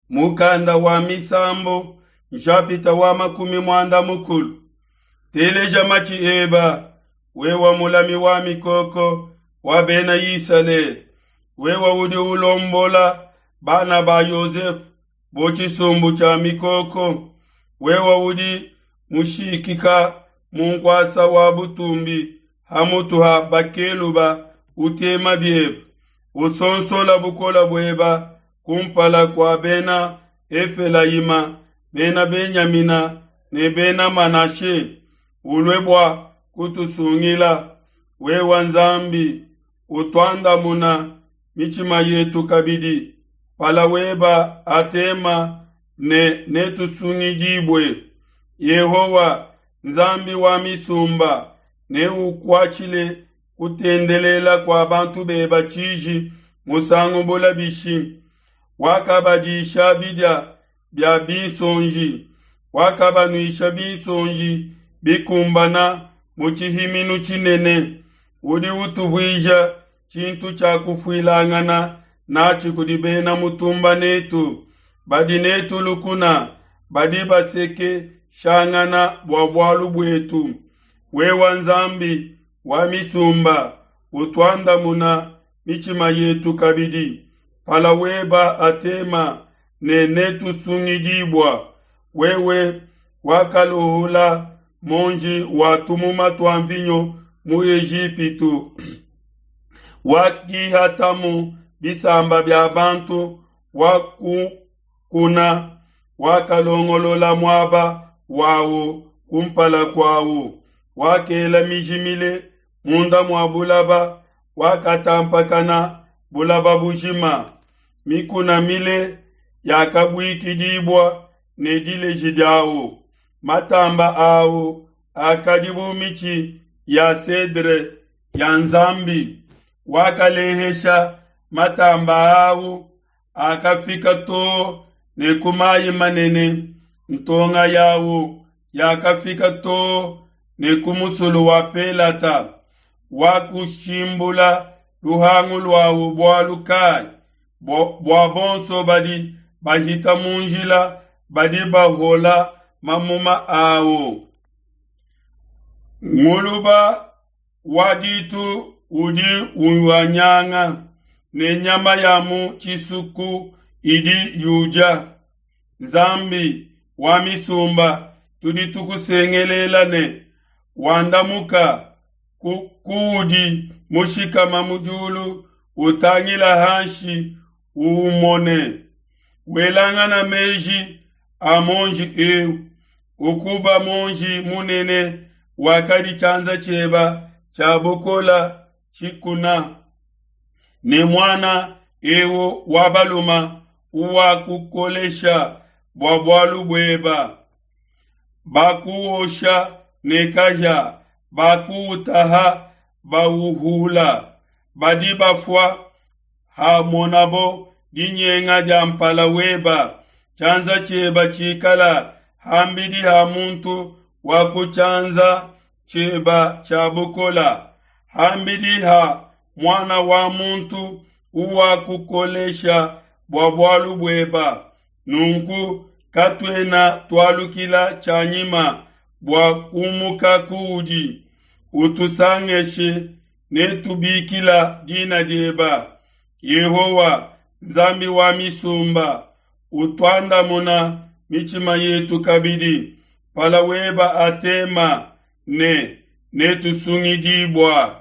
Mukanda wa Misambu, nshapita wa 40. Teleja matshi eba, wewe mulami wa mikoko wa bena Isalele, wewe udi ulombola bana ba Yosefe bu tshisumbu tshia mikoko, wewe udi mushikika mu nkuasa wa butumbi ha mutu ha bakeluba utema biebe, usonsola bukole bueba kumpala kua bena Efelayima, bena Benyamina ne bena Manashe, ulue bua kutusungila. Wewe Nzambi, utuandamuna mitshima yetu kabidi, pala weba atema ne netusungidibue. Yehowa, Nzambi wa misumba, neukuatshile kutendelela kua bantu beba tshiji musangu bula bishi? Wakabadisha bidia bia binsonji, wakabanuisha binsonji bikumbana mu tshihiminu tshinene. Udi utuvuija tshintu tshia kufuilangana natshi kudi bena mutumba netu, badi netu lukuna, badi basekeshangana bua bualu buetu. Wewe Nzambi wa misumba, utuandamuna mitshima yetu kabidi, pala weba atema ne netusungidibua. Wewe wakaluhula monji wa tumuma tua mvinyo mu Ejipitu, wakihatamu bisamba bia bantu, wakukuna, wakalongolola muaba wawu kumpala kuawu, wakela miji mile munda mua bulaba, wakatampakana bulaba bujima. Mikuna mile yakabuikidibua ne dileji diawu, matamba awu akadi bu mitshi ya cedre ya Nzambi. Wakalehesha matamba awu akafika too ne ku mayi manene, ntonga yawu yakafika too ne ku musulu wa Pelata. Wakushimbula luhangu luawu bualu kayi? Bua bonso badi bahita mu njila badi bahola mamuma awu. Nguluba wa ditu udi uwanyanga, ne nyama ya mu tshisuku idi yudia. Nzambi wa misumba, tudi tukusengelela ne wandamuka kuudi mushikama mu diulu, utangila hanshi uumone. Welangana meji a monji eu, ukuba monji munene wakadi tshianza tshieba tshia bukola tshikuna, ne muana eu wa baluma uwakukolesha bua bualu bueba. Bakuosha ne kahia, bakuutaha bauhula, badi bafua hamonabo dinyenga dia mpala weba. Tshianza tshieba tshikala hambidi ha muntu wa ku tshianza tshieba tshia bukola, hambidi ha muana wa muntu uwakukolesha bua bualu bueba. Nunku katuena tualukila tshianyima bua kumuka kuudi, utusangeshe ne tubikila dina dieba. Yehowa, Nzambi wa misumba, utuandamuna mitshima yetu kabidi, pala weba atema ne netusungidibua.